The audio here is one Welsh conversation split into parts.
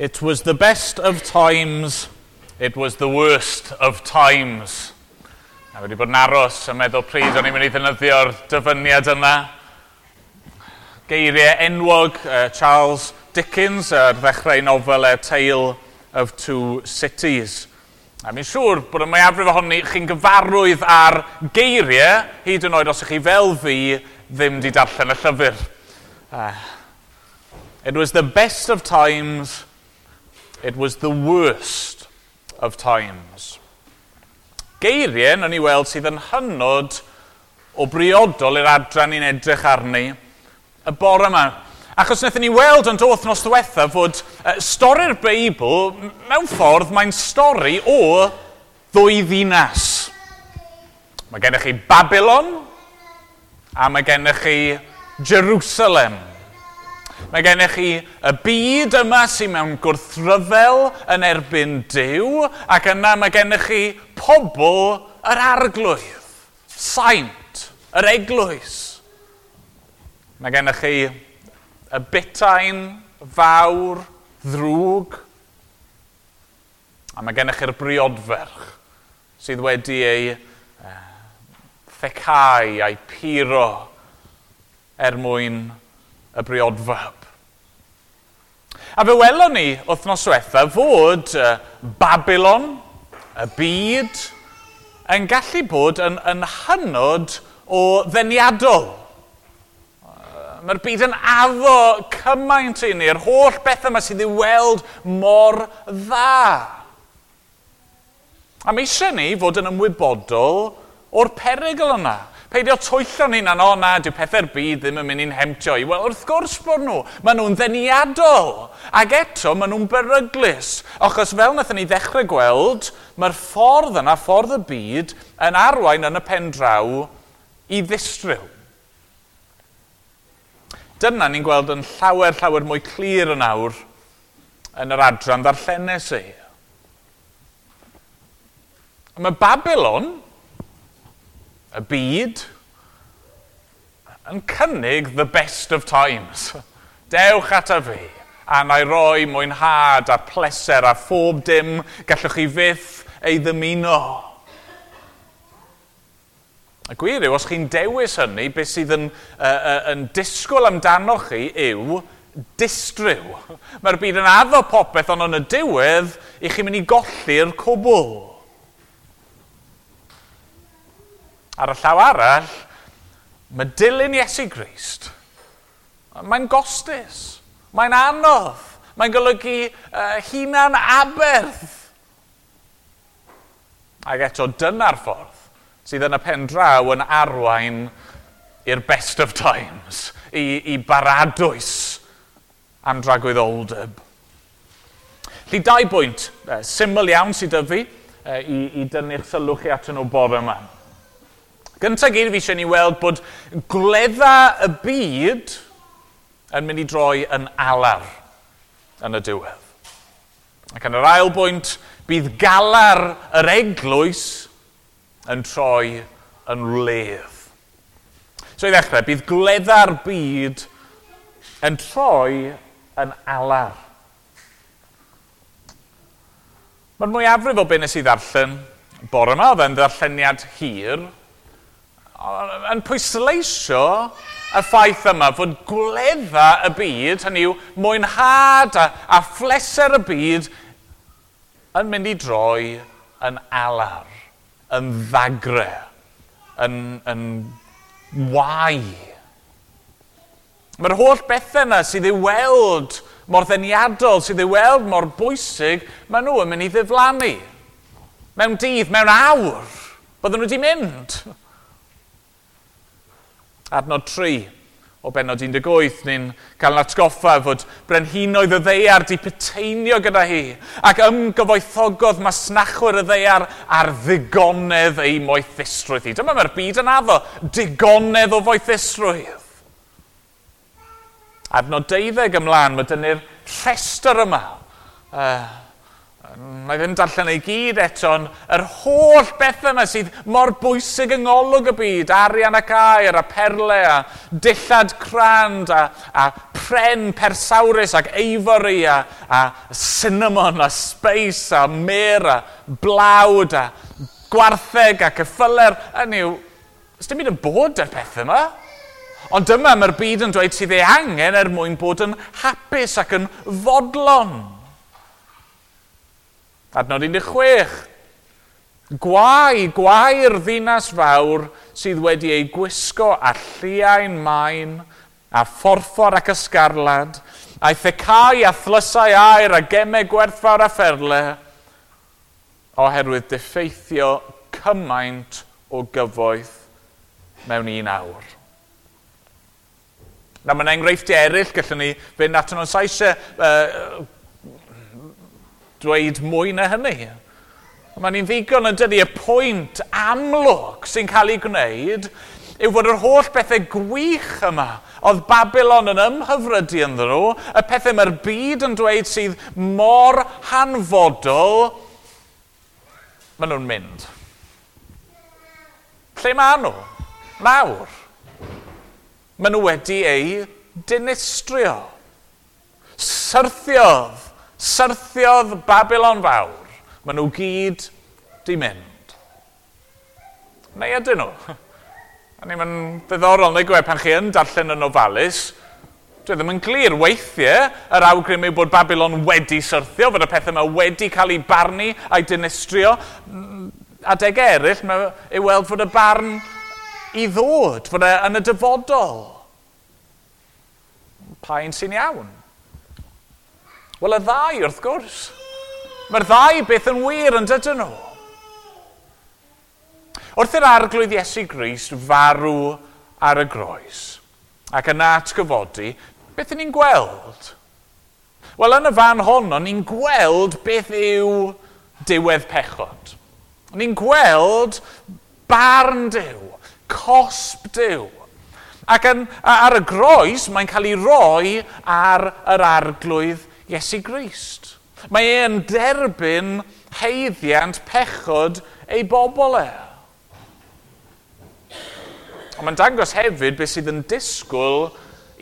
It was the best of times, it was the worst of times. A wedi bod yn aros yn meddwl pryd o'n i'n mynd i ddefnyddio'r dyfyniad yna. Geiriau enwog Charles Dickens ar ddechrau nofel A Tale of Two Cities. A mi'n siŵr bod y mwyafrif ohoni chi'n gyfarwydd ar geiriau, hyd yn oed os ych chi fel fi ddim wedi darllen y llyfr. It was the best of times, it was the worst of times. Geiriau, nawn ni weld, sydd yn hynod o briodol i'r adran ni'n edrych arni y bore yma. Achos wnaethon ni weld yn dod wythnos diwetha fod stori'r Beibl, mewn ffordd, mae'n stori o ddwy ddinas. Mae gennych chi Babylon a mae gennych chi Jerusalem. Mae gennych chi y byd yma sy'n mewn gwrthryfel yn erbyn Duw, ac yna mae gennych chi pobl yr arglwydd, saint, yr eglwys. Mae gennych chi y butain fawr ddrwg, a mae gennych chi'r briodferch sydd wedi ei thecau a'i puro er mwyn y briodfab. A fe welon ni wythnos diwetha fod Babylon, y byd, yn gallu bod yn hynod o ddeniadol. Mae'r byd yn addo cymaint i ni, yr holl bethau yma sydd i'w weld mor dda. A mae eisiau ni fod yn ymwybodol o'r perygl yna. Peidio twyllo'n hunan, o na, dyw pethau'r byd ddim yn mynd i'n hemtio i. Wel, wrth gwrs bod nhw. Maen nhw'n ddeniadol. Ac eto, maen nhw'n beryglus. Achos fel wnaethon ni ddechrau gweld, mae'r ffordd yna, ffordd y byd, yn arwain yn y pen draw i ddistryw. Dyna ni'n gweld yn llawer, llawer mwy clir yn awr yn yr adran ddarllenes i. Mae Babylon, y byd, yn cynnig the best of times. Dewch ata fi, a na i roi mwynhad a pleser a phob dim gallwch chi fyth ei ddymuno. Y gwir yw, os chi'n dewis hynny, beth sydd yn disgwyl amdanoch chi yw distryw. Mae'r byd yn addo popeth, ond yn y diwedd, i chi'n mynd i golli'r cwbl. Ar y llaw arall, mae dilyn Iesu Grist, mae'n gostus, mae'n anodd, mae'n golygu hunan aberth. Ac eto, dyna'r ffordd sydd yn y pen draw yn arwain i'r best of times, i baradwys am dragwyddoldeb. Felly, dau bwynt syml iawn sydd 'da fi i dynnu'ch sylw chi atyn nhw bore yma. Gyntaf gyd, fi eisiau ni weld bod gwledda y byd yn mynd i droi yn alar yn y diwedd. Ac yn yr ail bwynt, bydd galar yr eglwys yn troi yn wledd. So i ddechrau, bydd gwledda'r byd yn troi yn alar. Mae'r mwyafrif o be nes i ddarllen bore yma, oedd e'n ddarlleniad hir, yn pwysleisio y ffaith yma fod gwledda y byd, hynny yw mwynhad a phleser y byd, yn mynd i droi yn alar, yn ddagre, yn wae. Mae'r holl bethau yna sydd i'w weld mor ddeniadol, sydd i'w weld mor bwysig, maen nhw yn mynd i ddiflannu. Mewn dydd, mewn awr, bydden nhw wedi mynd. Adnod 3 o bennod 18, ni'n cael yn atgoffa fod brenhinoedd y ddaear di puteinio gyda hi ac ymgyfoethogodd masnachwyr y ddaear ar ddigonedd ei moethusrwydd hi. Dyma mae'r byd yn addo, digonedd o foethusrwydd. Adnod 12 ymlaen, mae dynnu'r rhestr yma. Na i ddim darllen ei gyd eto, ond yr holl bethau yma sydd mor bwysig yng ngolwg y byd, arian ac aur a perle a dillad crand a pren persawrus ac ivory a cinnamon a spice a myrrh a blawd a gwartheg a ceffylau. Hynny yw, dim byd yn bod yr pethau yma. Ond dyma mae'r byd yn dweud sydd ei angen er mwyn bod yn hapus ac yn fodlon. Adnod 16. Gwae, gwae'r ddinas fawr sydd wedi ei gwisgo â lliain main, a phorffor ac ysgarlad, a'i thecau a thlysau aur a gemau gwerthfawr a pherle, oherwydd diffeithio cymaint o gyfoeth mewn un awr. Na, mae'n enghreifftiau eraill, gallwn ni fynd atyn nhw'n sa eisiau dweud mwy na hynny. Mae'n ni'n ddigon yn dydy, y pwynt amlwg sy'n cael ei gwneud yw fod yr holl bethau gwych yma oedd Babylon yn ymhyfrydu ynddyn nhw, y pethau mae'r byd yn dweud sydd mor hanfodol, maen nhw'n mynd. Lle maen nhw? Nawr. Maen nhw wedi eu dinistrio. Syrthiodd Babylon fawr. Maen nhw gyd di mynd. Neu ydyn nhw? A ni, mae'n ddiddorol, neu gwe, pan chi yn darllen yn ofalus, dwi ddim yn glir. Weithiau, yr awgrym yw bod Babylon wedi syrthio, fod y pethau yma wedi cael ei barnu a'i dinistrio. Adeg eraill, mae i weld fod y barn i ddod, fod e yn y dyfodol. Pa un sy'n iawn? Wel, y ddau, wrth gwrs. Mae'r ddau beth yn wir yn dydyn nhw. Wrth i'r Arglwydd Iesu Grist farw ar y groes ac yna atgyfodi, beth ni'n gweld? Wel, yn y fan honno, ni'n gweld beth yw diwedd pechod. Ni'n gweld barn Duw, cosb Duw. Ac ar y groes, mae'n cael ei roi ar yr Arglwydd Iesu Grist. Mae e'n derbyn haeddiant pechod ei bobl e. Ond mae'n dangos hefyd beth sydd yn disgwyl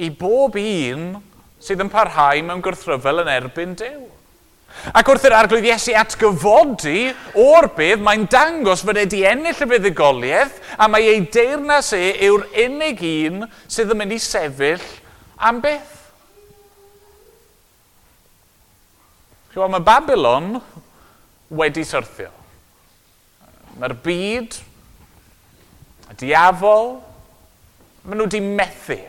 i bob un sydd yn parhau mewn gwrthryfel yn erbyn Duw. Ac wrth i'r Arglwydd Iesu atgyfodi o'r bedd, mae'n dangos fod e wedi ennill y fuddugoliaeth a mae ei deyrnas e yw'r unig un sydd yn mynd i sefyll am byth. Chi'n mae Babylon wedi syrthio. Mae'r byd, y diafol, maen nhw wedi methu.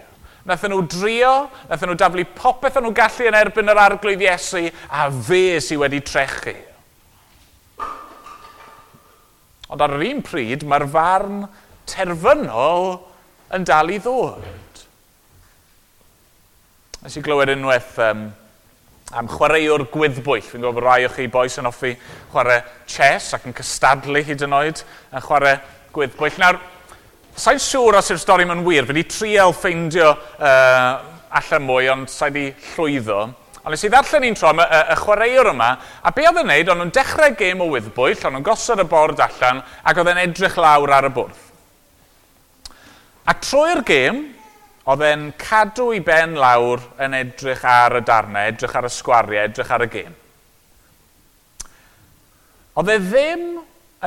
Nathon nhw drio, nathon nhw daflu popeth o'n nhw gallu yn erbyn yr Arglwydd Iesu, a fe sydd wedi trechu. Ond ar yr un pryd, mae'r farn terfynol yn dal i ddod. Nes i glywed unwaith am chwaraewr gwyddbwyll. Fi'n gwybod bod rai o chi bois yn hoffi chwarae chess ac yn cystadlu hyd yn oed yn chwarae gwyddbwyll. Nawr, sa'n siŵr os yw'r stori yma'n wir. Fi wedi trial ffeindio allan mwy, ond sa'i wedi llwyddo. Ond nes i ddarllen un tro am y chwaraewr yma, a be oedd yn neud, o'n nhw'n dechrau gêm o wyddbwyll, o'n nhw'n gosod y bord allan, ac oedd e'n edrych lawr ar y bwrdd. A trwy'r gêm, oedd e'n cadw ei ben lawr yn edrych ar y darnau, edrych ar y sgwariau, edrych ar y gêm. Oedd e ddim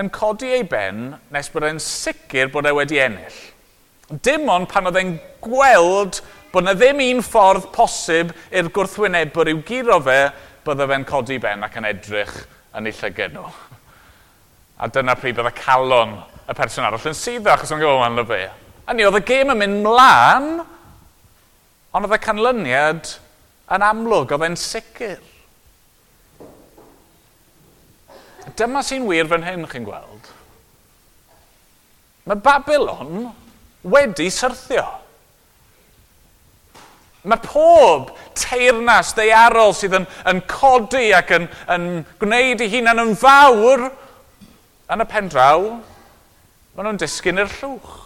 yn codi ei ben nes bod e'n sicr bod e wedi ennill. Dim ond pan oedd e'n gweld bod yna ddim un ffordd posib i'r gwrthwynebwr i'w guro fe, bydde fe'n codi ben ac yn edrych yn ei llygad nhw. A dyna pryd bydde calon y person arall yn suddo, achos o'n gwybod ma'n fe. A ni, oedd y gêm yn mynd mlaen, ond oedd y canlyniad yn amlwg, oedd e'n sicr. Dyma sy'n wir fan hyn, chi'n gweld. Mae Babylon wedi syrthio. Mae pob teyrnas ddaearol sydd yn codi ac yn gwneud ei hunan yn fawr yn y pen draw, maen nhw'n disgyn i'r llwch.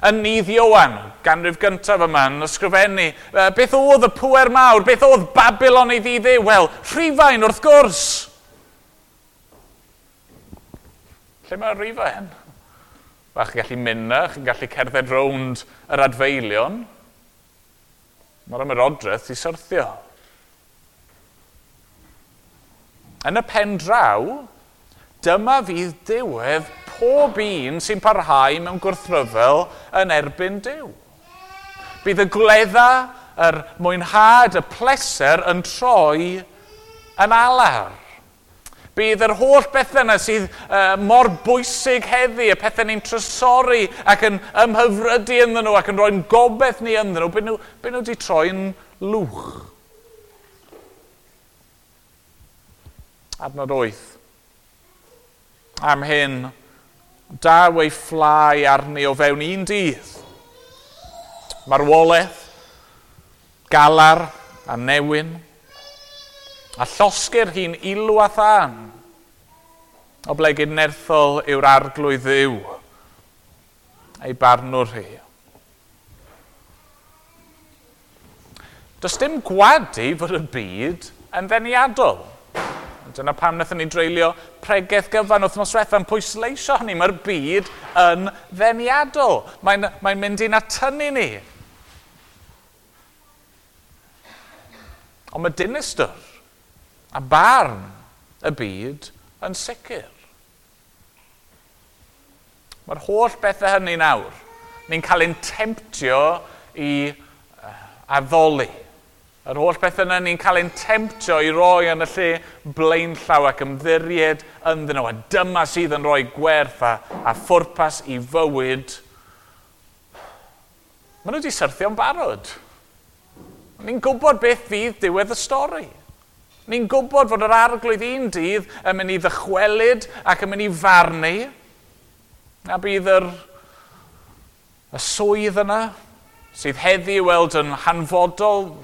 Yn nydd Ioan, ganrif gyntaf yma, yn ysgrifennu, beth oedd y pŵer mawr, beth oedd Babylon ei ddydd e? Wel, Rhufain wrth gwrs. Lle mae Rufain? Wel, chi'n gallu mynd na, chi'n gallu cerdded rownd yr adfeilion. Mae'r ymerodraeth i syrthio. Yn y pen draw, dyma fydd diwedd pob un sy'n parhau mewn gwrthryfel yn erbyn Duw. Bydd y gwledda, yr mwynhad, y pleser yn troi yn alar. Bydd yr holl bethau yna sydd mor bwysig heddi, y pethau ni'n trysori ac yn ymhyfrydu ynddyn nhw ac yn rhoi'n gobaith ni ynddyn nhw, bydd nhw wedi troi'n lwch. Adnod 8. Am hyn, daw ei fflau arni o fewn un dydd. Marwolaeth, galar a newyn, a llosgir hi'n ilw a thân, oblegid nerthol yw'r arglwydd Dduw, ei barnwr hi. Does dim gwadu fod y byd yn ddeniadol. Dyna pam wnaethon ni dreulio pregeth gyfan wythnos diwethaf yn pwysleisio hynny. Mae'r byd yn ddeniadol. Mae'n mynd i'n atynnu ni. Ond mae dinistr a barn y byd yn sicr. Mae'r holl bethau hynny nawr. Ni'n cael ein temptio i addoli. Yr holl bethau yna ni'n cael ein temptio i roi yn y lle blaenllaw ac ymddiried ynddyn nhw. A dyma sydd yn rhoi gwerth a phwrpas i fywyd. Maen nhw wedi syrthio'n barod. Ni'n gwybod beth fydd diwedd y stori. Ni'n gwybod fod yr arglwydd un dydd yn mynd i ddychwelyd ac yn mynd i farnu. A bydd y swydd yna sydd heddi i weld yn hanfodol,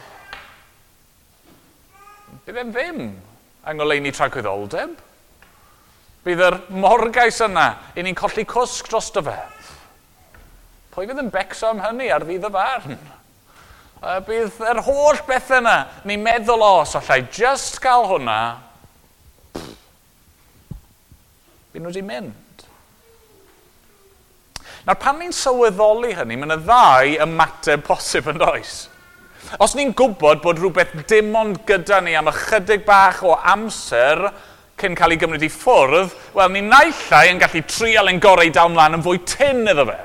bydd e'n ddim yng ngoleuni tragwyddoldeb. Bydd yr morgais yna i ni'n colli cwsg drosto fe. Pwy fydd yn becso am hynny ar ddydd y farn? Bydd yr holl beth yna, ni'n meddwl, os allai just gael hwnna, bydd nhw wedi mynd. Nawr, pan ni'n sylweddoli hynny, mae yna ddau ymateb posib yn does. Os ni'n gwybod bod rhywbeth dim ond gyda ni am ychydig bach o amser cyn cael ei gymryd i ffwrdd, wel, ni naill ai yn gallu trial ein gorau i dal mlaen yn fwy tynn iddo fe.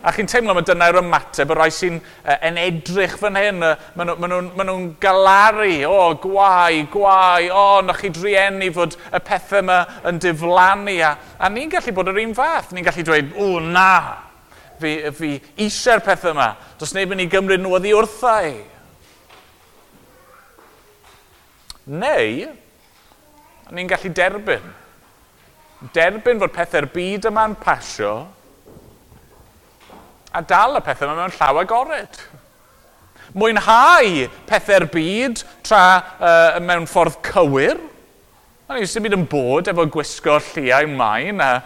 A chi'n teimlo mae dyna'r ymateb y rhai sy'n yn edrych fan hyn, maen nhw'n galaru, o, gwae, gwae, o, na chi drueni fod y pethau yma yn diflannu. A ni'n gallu bod yr un fath, ni'n gallu dweud, o, na, fi eisiau'r pethau yma, does neb yn ei gymryd nhw oddi wrtha i. Neu, ni'n gallu derbyn. Derbyn fod pethau'r byd yma'n pasio, a dal y pethau yma mewn llaw agored. Mwynhau pethau'r byd tra mewn ffordd cywir. Dim byd yn bod efo gwisgo lliau main, a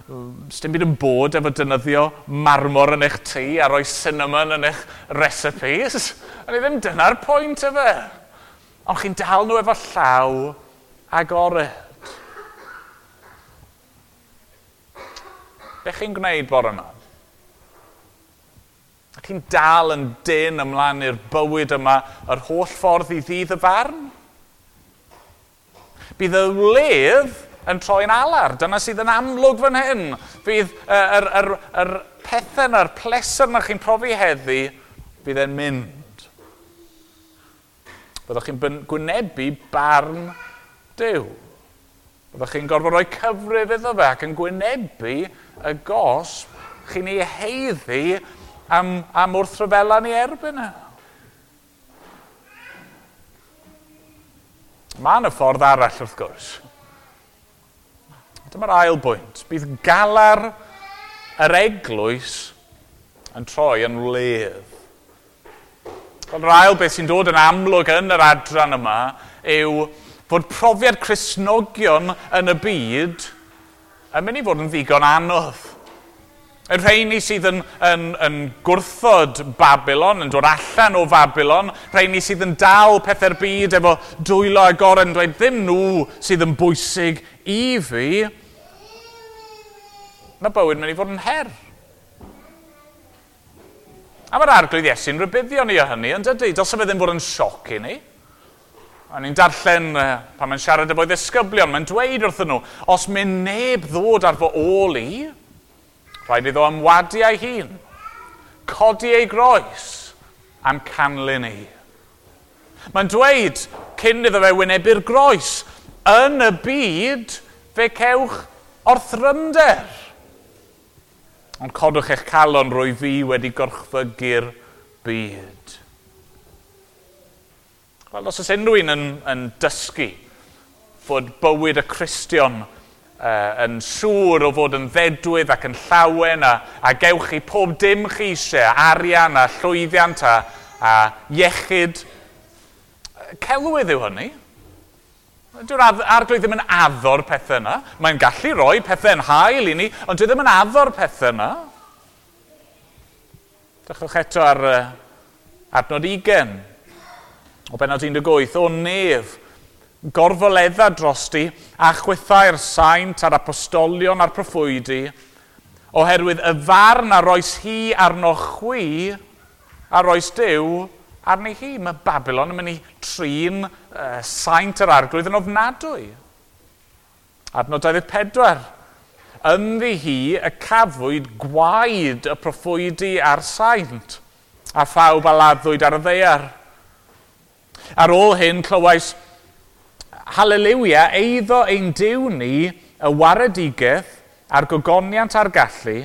dim byd yn bod efo defnyddio marmor yn eich tŷ a rhoi cinnamon yn eich recipes. A ni ddim dyna'r pwynt efe. Ond chi'n dal nhw efo llaw agored. Be chi'n gwneud bore yma? Chi'n dal yn dyn ymlaen i'r bywyd yma yr holl ffordd i ddydd y farn? Bydd y wledd yn troi'n alar. Dyna sydd yn amlwg fan hyn. Bydd yr pethau yna'r pleser yna chi'n profi heddi, bydd e'n mynd. Byddwch chi'n gwynebu barn Duw. Byddwch chi'n gorfod rhoi cyfrif iddo fe ac yn gwynebu y gosb chi'n ei heiddi am wrthryfela ni erbyn e. Mae yna ffordd arall wrth gwrs. Dyma'r ail bwynt. Bydd galar yr eglwys yn troi yn wledd. Yr ail beth sy'n dod yn amlwg yn yr adran yma yw fod profiad Cristnogion yn y byd yn mynd i fod yn ddigon anodd. Y rheini sydd yn gwrthod Babylon, yn dod allan o Babylon, rheini sydd yn dal pethau'r byd efo dwylo agored yn dweud ddim nhw sydd yn bwysig i fi, Mae bywyd mynd i fod yn her. A mae'r Arglwydd Iesu'n rhybuddio ni o hynny, yn dydy? Dylse fe ddim fod yn sioc i ni. A ni'n darllen pan mae'n siarad efo'i ddisgyblion, mae'n dweud wrthyn nhw, os mynd neb ddod ar fy ôl i, rhaid iddo ymwadu ei hun, codi ei groes am canlyn i. Mae'n dweud, cyn iddo fe wynebu'r groes, yn y byd fe cewch orthrymder. Ond codwch eich calon, rwy fi wedi gorchfygu'r byd. Wel, os oes unrhyw un yn dysgu fod bywyd y Cristion yn siŵr o fod yn ddedwydd ac yn llawen a gewch chi pob dim chi eisiau, arian a llwyddiant a iechyd, celwydd yw hynny. Dyw'r Arglwydd ddim yn addo'r pethau yna. Mae'n gallu rhoi pethau yn hael i ni, ond dwi ddim yn addo'r pethau yna. Dechrwch eto ar adnod 20, o bennod 18, o nef, gorfoledda drosti a chwythau'r saint a'r apostolion a'r proffwydi, oherwydd y farn a roes hi arno chwi, a roes Duw arni hi. Mae Babylon yn mynd i trin saint yr Arglwydd yn ofnadwy. Adnod 24. Ynddi hi y cafwyd gwaed y proffwydi a'r saint, a phawb a laddwyd ar y ddaear. Ar ôl hyn clywais, Haleliwia, eiddo ein Duw ni, y waredigaeth a'r gogoniant a'r gallu,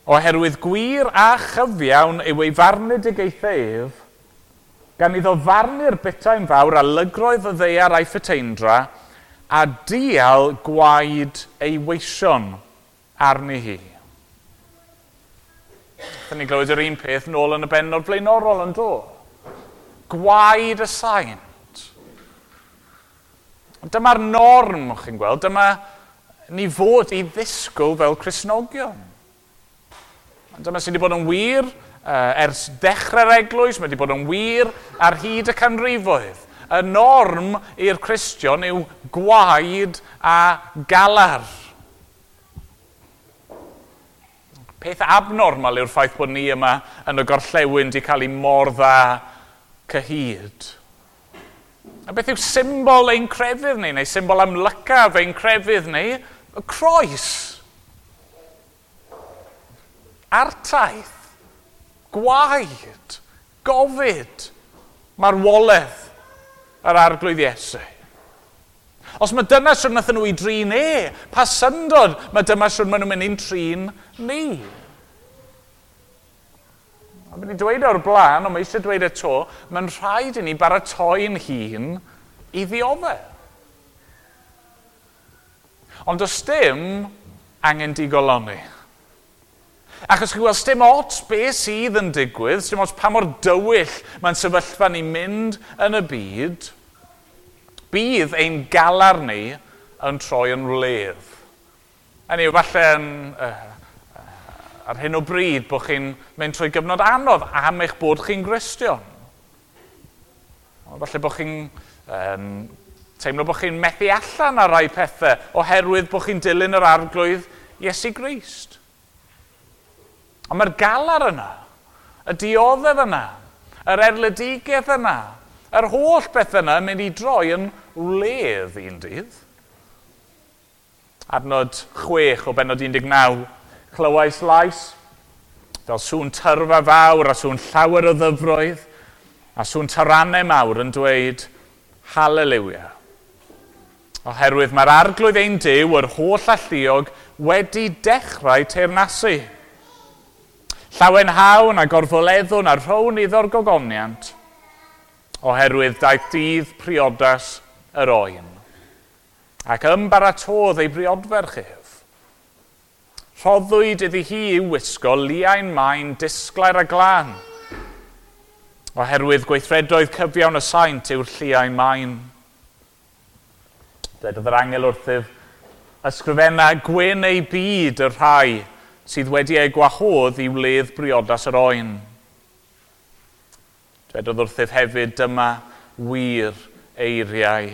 oherwydd gwir a chyfiawn yw ei farnedigaethau ef, gan iddo farnu'r butain fawr a lygroedd y ddaear a'i phuteindra, a dial gwaed ei weision arni hi. Dyna ni glywed yr un peth nôl yn y bennod flaenorol yn do. Gwaed y saint. Dyma'r norm, chi'n gweld, dyma ni fod i ddisgwyl fel Cristnogion. Dyma sydd wedi bod yn wir ers dechrau'r eglwys, mae wedi bod yn wir ar hyd y canrifoedd. Y norm i'r Cristion yw gwaed a galar. Peth abnormal yw'r ffaith bod ni yma yn y gorllewin wedi cael ei mor dda cyhyd. A beth yw symbol ein crefydd ni, neu symbol amlycaf ein crefydd ni? Y croes. Artaith, gwaed, gofid, marwolaeth yr Arglwydd Iesu. Os mae dyna siwr wnaethon nhw i drin e, pa syndod mae dyma siwr maen nhw'n mynd i'n trin ni. A mynd i dweud o'r blaen, ond mae eisiau dweud eto, mae'n rhaid i ni baratoi'n hun i ddioddef. Ond does dim angen digoloni. Achos chi'n gweld, dim ots be sydd yn digwydd, dim ots pa mor dywyll mae'n sefyllfa ni mynd yn y byd, bydd ein galar ni yn troi yn wledd. Hynny yw, falle yn, ar hyn o bryd bod chi'n mynd trwy gyfnod anodd am eich bod chi'n Gristion. Falle bod chi'n teimlo bod chi'n methu allan ar rai pethau oherwydd bod chi'n dilyn yr Arglwydd Iesu Grist. Ond mae'r galar yna, y dioddef yna, yr erledigaeth yna, yr holl beth yna yn mynd i droi yn wledd un dydd. Adnod 6 o bennod 19, clywais lais, fel sŵn tyrfa fawr a sŵn llawer o ddyfroedd, a sŵn tarannau mawr yn dweud, Haleliwia. Oherwydd mae'r Arglwydd ein Duw, yr holl alluog, wedi dechrau teyrnasu. Llawenhawn a gorfoleddwn a rhown iddo'r gogoniant, oherwydd daeth dydd priodas yr oen, ac ymbaratodd ei briodferch ef. Rhoddwyd iddi hi i'w wisgo liain main disglair a glân, oherwydd gweithredoedd cyfiawn y saint yw'r lliain main. Dwedodd yr angel wrthyf, ysgrifenna gwyn ei byd y rhai sydd wedi ei gwahodd i wledd briodas yr oen. Dwedodd wrthyf hefyd, dyma wir eiriau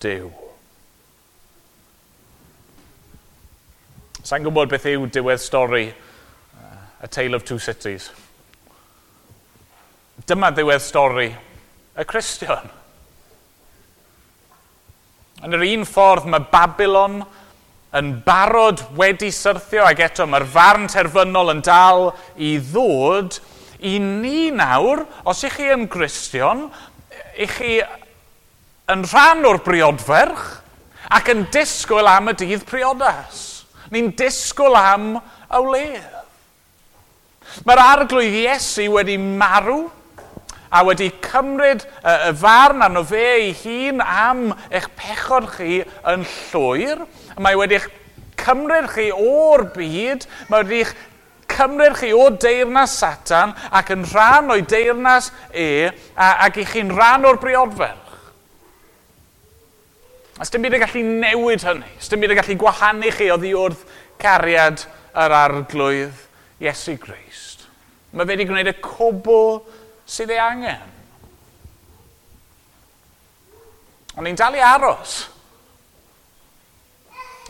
Duw. Sa'n gwybod beth yw diwedd stori A Tale of Two Cities. Dyma ddiwedd stori y Cristion. Yn yr un ffordd mae Babylon yn barod wedi syrthio ac eto mae'r farn terfynol yn dal i ddod i ni nawr, os ych chi yn Gristion, ych chi yn rhan o'r briodferch ac yn disgwyl am y dydd priodas. Ni'n disgwyl am y wledd. Mae'r arglwydd Iesu wedi marw a wedi cymryd y farn arno fe ei hun am eich pechod chi yn llwyr. Mae wedi eich cymryd chi o'r byd, mae wedi eich cymryd chi o deyrnas Satan ac yn rhan o'i deyrnas e, ac i chi'n rhan o'r briodferch. A sdim byd yn gallu newid hynny. Sdim byd yn gallu gwahanu chi oddi wrth cariad yr arglwydd Iesu Grist. Mae fe wedi gwneud y cwbl sydd ei angen. Ond ni'n dal i aros.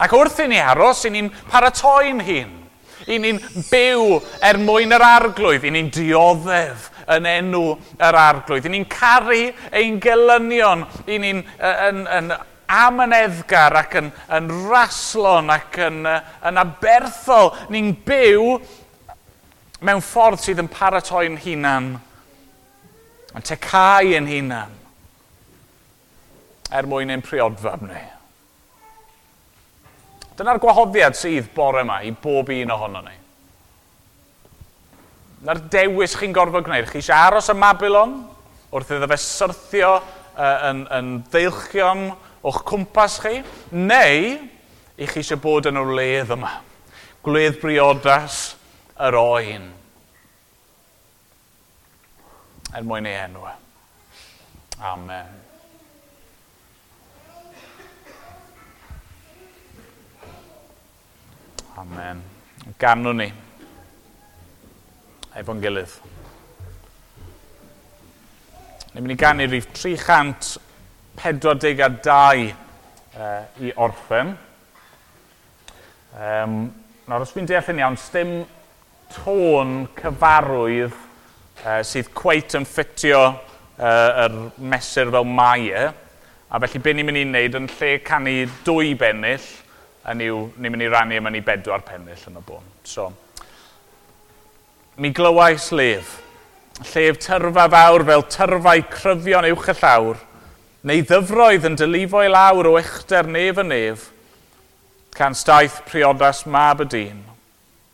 Ac wrth i ni aros, i ni'n paratoi'n hun. I ni'n byw er mwyn yr arglwydd. I ni'n dioddef yn enw yr arglwydd. I ni'n caru ein gelynion. I ni'n yn amyneddgar ac yn raslon ac yn aberthol. Ni'n byw mewn ffordd sydd yn paratoi'n hunan, yn tecau yn hunan, er mwyn ein priodfab ni. Dyna'r gwahoddiad sydd bore yma i bob un ohono ni. Dyna'r dewis chi'n gorfod gwneud. Chi eisiau aros ym Mabilon wrth iddo fe syrthio yn ddeilchion o'ch cwmpas chi, neu i chi eisiau bod yn y wledd yma. Gwledd briodas yr oen. Er mwyn ei enw. Amen. Amen. Ganwn ni efo'n gilydd. Ni'n mynd i ganu rhif 342 i orffen. Nawr, os dwi'n deall yn iawn, sdim tôn cyfarwydd sydd cweit yn ffitio yr mesur fel mae e. A felly be ni'n mynd i wneud yn lle canu 2 bennill, ni'n mynd i rannu yma ni 4 pennill yn y bôn. So, mi glywais lef. Llef tyrfa fawr fel tyrfau cryfion uwch y llawr, neu ddyfroedd yn dylifo i lawr o uchder nef y nef, can staeth priodas mab y dyn,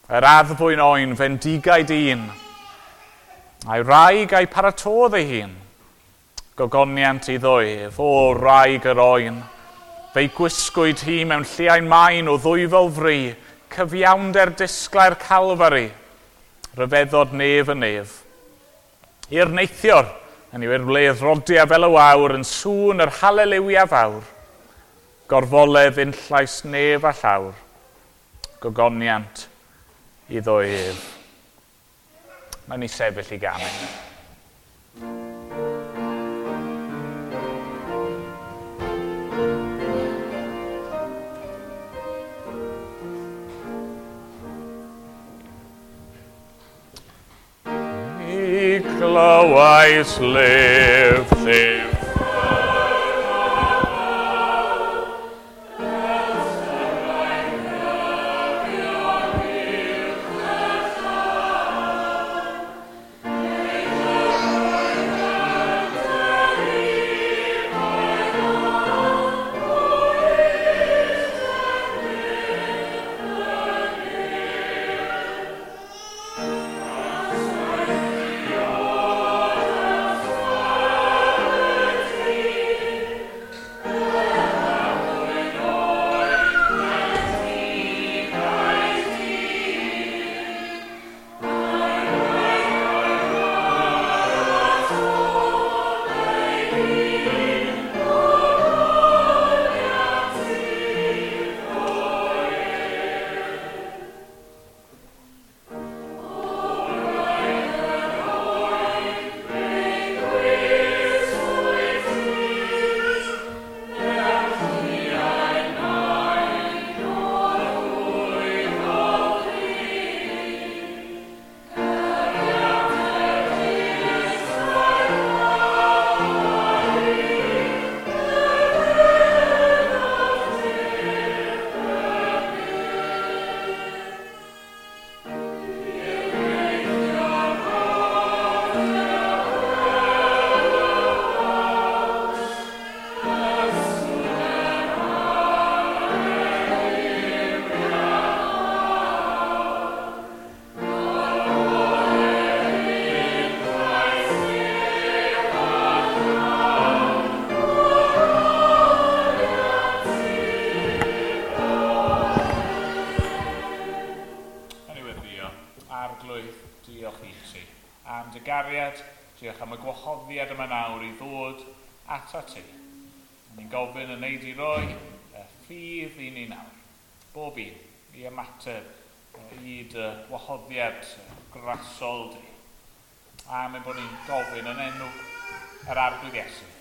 yr addfwyn oen fendigaid un, a'i wraig a'i paratodd ei hun, gogoniant iddo ef, o wraig yr oen, fe'i gwisgwyd hi mewn lliain main o ddwyfol fri, cyfiawnder disglair Calfari, rhyfeddod nef y nef. I'r neithiwr, yn yw i'r wledd rodia fel y wawr, yn sŵn yr haleliwia fawr, gorfoledd unllais nef a llawr, gogoniant iddo ef. Mae'n ni sefyll i ganu. Mi glywais lef, llef. Diolch am y gwahoddiad yma nawr i ddod atat ti. Ni'n gofyn yn neud i roi y ffydd i ni nawr. Bob un i ymateb i dy wahoddiad grasol di. A mae'n bod ni'n gofyn yn enw yr Arglwydd Iesu.